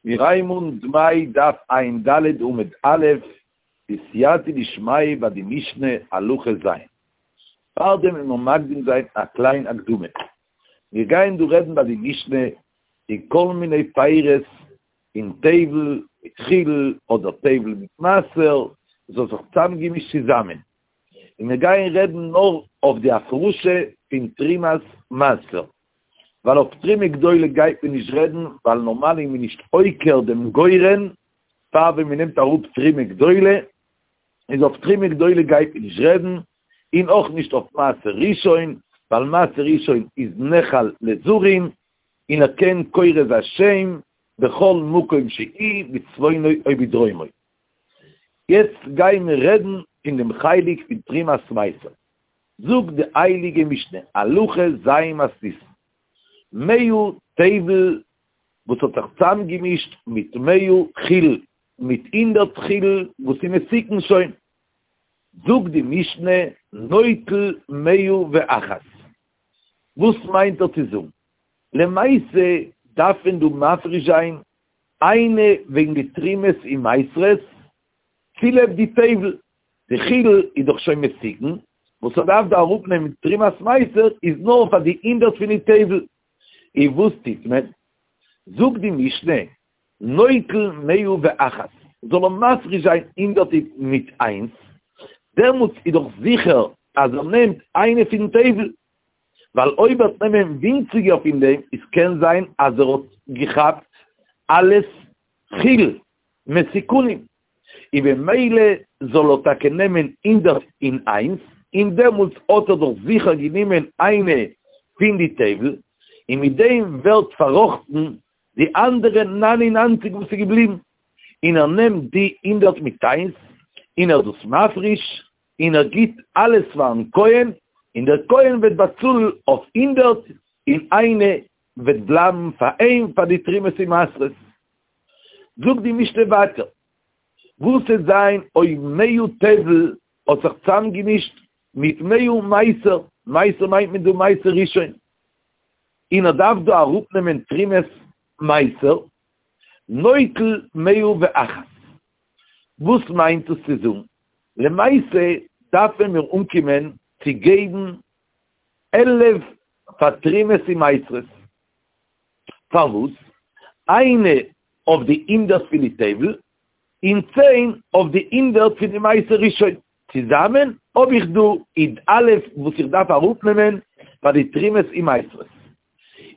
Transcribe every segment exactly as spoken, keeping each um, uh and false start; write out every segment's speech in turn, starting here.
מיר הייבן אן דמאי דף ע"ד עמוד א', בסייעתא דשמיא ביי די משנה הלכה ז'. פארדעם וועלן מיר מקדים זיין א קליין הקדמה. מיר גייען דא רעדן ביי די משנה די כל מיני פירות אין טבל מיט חולין אדער טבל מיט מעשר, עס האט זיך צוזאמגעמישט צוזאמען. און מיר גייען רעדן נאר אויף די הפרשה פון תרומת מעשר. ווייל אויף תרומה גדולה גייט מען נישט רעדן, ווייל נארמאל איז מען נישט עוקר דעם גורן פאר ווען מען נעמט אראפ תרומה גדולה, איז אויף תרומה גדולה גייט מען נישט רעדן, און אויך נישט אויף מעשר ראשון, ווייל מעשר ראשון איז נאכל לזרים, און ער קען קורא זיין שם בכל מקום שהוא בצפונו או בדרומו. יעצט גייען מיר רעדן פון דעם חלק פון תרומת מעשר. זאגט די הייליגע משנה, הלכה ז' מתניתין, מאה טבל וואס האט זיך צוזאמגעמישט מיט מאה חולין, מיט הונדערט חולין וואס איז מתוקן שוין, זאגט די משנה, נוטל מאה ואחת. וואס מיינט ער צו זאגן? למעשה דארף מען דא מפריש זיין איינע וועגן די תרומות און מעשרות, צוליב די טבל, די חולין איז דאך שוין מתוקן, וואס ער דארף דא אראפנעמען תרומת מעשר איז נאר פאר די הונדערט פון די טבל. און וואס טוט מען? זאגט די משנה, נוטל מאה ואחת, זאל ער מפריש זיין הונדערט מיט איינס, דעמאלטס איז דאך זיכער אז ער נעמט איינע פון טבל, ווייל אויב ער וועט נעמען ווינציגער פון דעם, איז קען זיין אז ער האט געכאפט אלעס חולין מתוקנים, און במילא זאל ער טאקע נעמען הונדערט און איינס, און דעמאלטס האט ער דאך זיכער גענומען איינע פון די טבל, און מיט דעם ווערט פארראכטן די אנדערע נײַן און נײַנציק וואס איז געבליבן, און ער נעמט די הונדערט מיט איינס און ער איז דאס מפריש, און ער גיט אלעס פארן כהן, און דער כהן וועט באצאלן אויף הונדערט, און איינע וועט בלייבן פאר אים פאר די תרומות און מעשרות. זאגט די משנה ווייטער, וואס וועט זיין אויב מאה טבל האט זיך צוזאמגעמישט מיט מאה מעשר, מעשר מיינט מען דא מעשר ראשון, און ער דארף דא אראפנעמען תרומת מעשר, נוטל מאה ואחת. וואס מיינט דאס צו זאגן? למעשה דארפן מיר אנקומען צו געבן עלף פאר תרומות און מעשרות. פארוואס? איינע אויף די הונדערט פון די טבל, און צען אויף די הונדערט פון די מעשר ראשון. צוזאמען האב איך דא י"א וואס איך דארף אראפנעמען פאר די תרומות און מעשרות.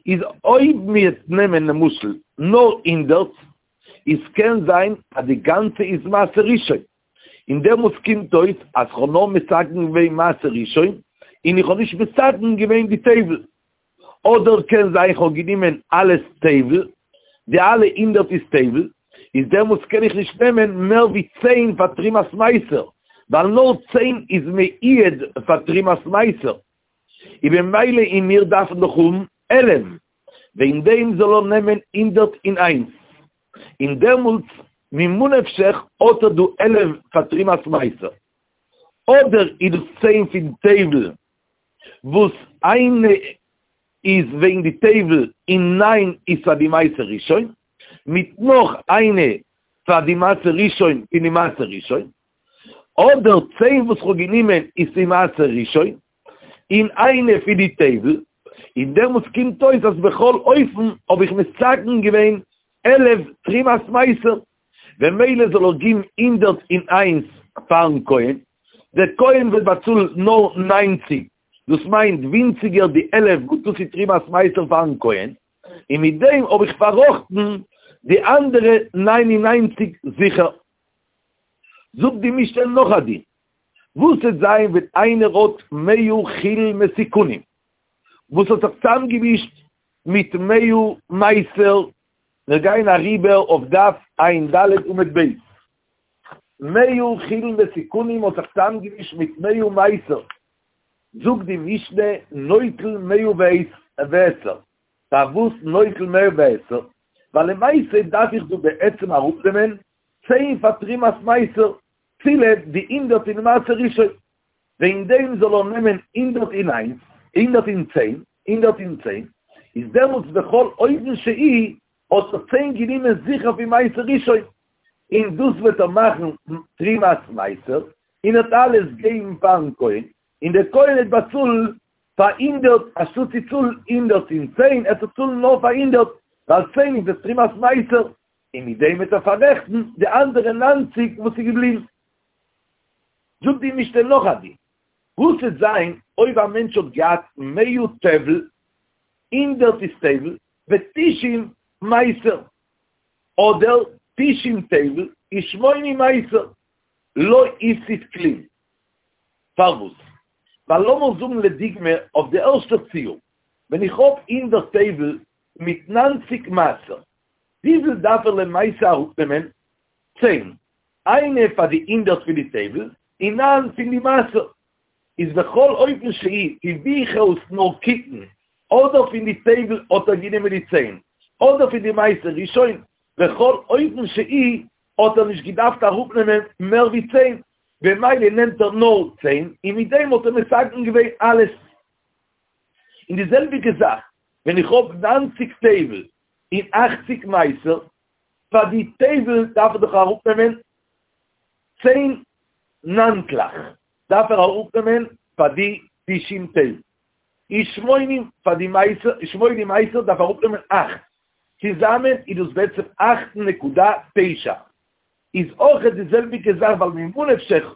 איז אויב מיר נעמען למשל נאר הונדערט, איז קען זיין אז די גאנצע איז מעשר ראשון, און דעמאלטס קומט אויס אז כ'האב נאר מתקן געווען מעשר ראשון, און איך האב נישט מתקן געווען די טבל. אדער קען זיין כ'האב גענומען אלעס טבל, די אלע הונדערט איז טבל, איז דעמאלטס קען איך נישט נעמען מער ווי צען פאר תרומת מעשר, ווייל נאר צען איז מיועד פאר תרומת מעשר, און במילא און מיר דארפן דאך האבן עלף, וועגן דעם זאל ער נעמען הונדערט און איינס, און דעמאלטס ממה נפשך האט ער דא עלף פאר תרומת מעשר, אדער איז דאס צען פון טבל וואס איינע איז וועגן די טבל און ניין איז פאר די מעשר ראשון, מיט נאך איינע פאר די מעשר ראשון פון די מעשר ראשון, אדער צען וואס כ'האב גענומען איז פון מעשר ראשון, און איינע פון די טבל, און דעמאלטס קומט אויס אז בכל אופן האב איך מתקן געווען עלף תרומת מעשר, במילא זאל ער געבן הונדערט און איינס פארן כהן, דער כהן וועט באצאלן נאר ניינציג, דאס מיינט ווינציגער די עלף וואס דאס איז תרומת מעשר פארן כהן, און מיט דעם האב איך פארראכטן די אנדערע ניין און ניינציג זיכער. זאגט די משנה נאך א דין, וואס וועט זיין ווען איינער האט מאה חולין מתוקנים וואס האט זיך צוזאמגעמישט מיט מאה מעשר, מיר גייען אריבער אויף דף ע"ד עמוד ב', מאה חולין מתוקנים האט זיך צוזאמגעמישט מיט מאה מעשר, זאגט די משנה נוטל מאה ועשר, פארוואס נוטל מאה ועשר? ווייל למעשה דארף איך דא בעצם אראפנעמען צען פאר תרומת מעשר, צוליב די הונדערט אין מעשר ראשון, וועגן דעם זאל ער נעמען הונדערט און איינס, הונדערט און צען, הונדערט און צען, איז דעמאלטס בכל אופן שהי' האט ער צען גענומען זיכער פון מעשר ראשון, און דאס וועט ער מאכן תרומת מעשר, און ער וועט אלעס געבן פארן כהן, און דער כהן וועט באצאלן פאר הונדערט, אנשטאט צו צאלן הונדערט און צען, עט ער צאלן נאר פאר הונדערט, ווייל צען איז דאס תרומת מעשר, און מיט דעם וועט ער פאררעכטן די אנדערע נײַנציק וואס איז געבליבן. זאגט די משנה נאך א דין, וואס וועט זיין אויב א מענטש האט געהאט מאה טבל, הונדערט איז טבל, ותשעים מעשר, אדער תשעים טבל ושמונים מעשר, לא הפסיד כלום. פארוואס? ווייל לאמיר זאגן לדוגמא אויף די ערשטע ציור, ווען איך האב הונדערט טבל מיט נײַנציק מעשר, וויפיל דארף ער למעשה אראפנעמען? צען. איינע פאר די הונדערט פון די טבל, און נײַן פון די מעשר. איז בכל אופן שהי', פון ווי כ'וועל עס נאר קוקן, אדער פון די טבל האט ער גענומען די צען, אדער פון די מעשר ראשון, בכל אופן שהי' האט ער נישט געדארפט אראפנעמען מער ווי צען, במילא נעמט ער נאר צען, און מיט דעם האט ער מתקן געווען אלעס. און די זעלביגע זאך ווען איך האב נײַנציק טבל און אַכציק מעשר, פאר די טבל דארף ער דאך אראפנעמען צען ניינטלעך, דארף ער אראפנעמען פאר די תשעים טבל, און שמונים פאר די מעשר, שמונים מעשר דארף ער אראפנעמען אכט, צוזאמען איז דאס בעצם אכט נקודה תשע, איז אויכעט די זעלביגע זאך ווייל ממה נפשך,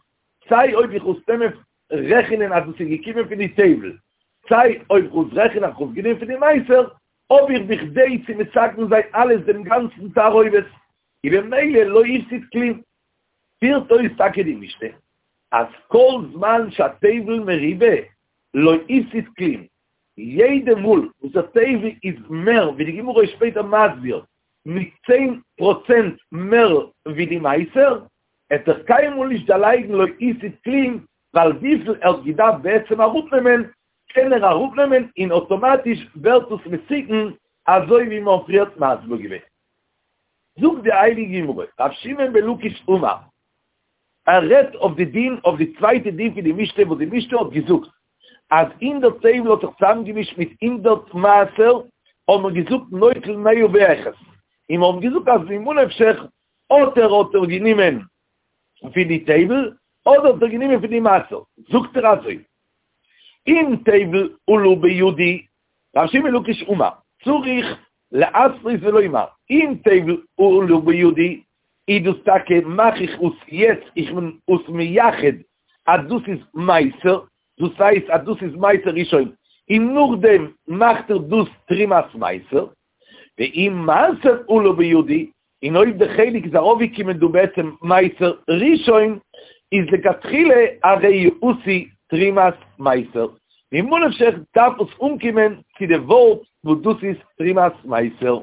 סיי אויב איך וואלט נעמען רעכענען אז דאס איז געקומען פון די טבל, סיי אויב איך וואלט רעכענען אז כ'וואלט גענומען פון די מעשר, האב איך בכדי צו מתקן זיין אלעס דעם גאנצן תערובת, און במילא לא הפסיד כלום. פירט אויס טאקע די משנה אז כל זמן שהטבל מרובה לא הפסיד כלום, יעדע מאל וואס א טבל איז מער, ווי די גמרא איז שפעטער מסביר, מיט צען פראצענט מער ווי די מעשר, עט ער קיינמאל נישט דערלייגן לא הפסיד כלום, ווייל וויפיל ער האט געדארפט בעצם אראפנעמען, קען ער אראפנעמען און אויטאמאטיש ווערט עס מתוקן, אזוי ווי מ'האט פריערט מסביר געווען. זאגט די הייליגע גמרא, ר' שמעון בן לקיש אמר, ער רעדט אויף די דין, אויף די צווייטע דין פון די משנה, וואס די משנה האט געזאגט אז הונדערט טבל האט זיך צוזאמגעמישט מיט הונדערט מעשר, האבן מיר געזאגט נוטל מאה ואחת, און מיר האבן געזאגט אז ממה נפשך, אדער האט ער גענומען פון די טבל, אדער האט ער גענומען פון די מעשר, זאגט ער אזוי, אם טבל עלה בידי, ר' שמעון בן לקיש אמר, צריך להתנות ולומר, אם טבל עלה בידי, איז דאס טאקע מאך איך עס יעצט, איך בין עס מייחד אז דאס איז מעשר, דאס הייסט אז דאס איז מעשר ראשון, און נאכדעם מאכט ער דאס תרומת מעשר, ואם מעשר עלה בידי, און אויב די חלק איז ארויפגעקומען דא בעצם מעשר ראשון, איז לכתחילה הרי הוא עשוי תרומת מעשר, ממה נפשך דארף עס אנקומען צו די ווארט וואס דאס איז תרומת מעשר.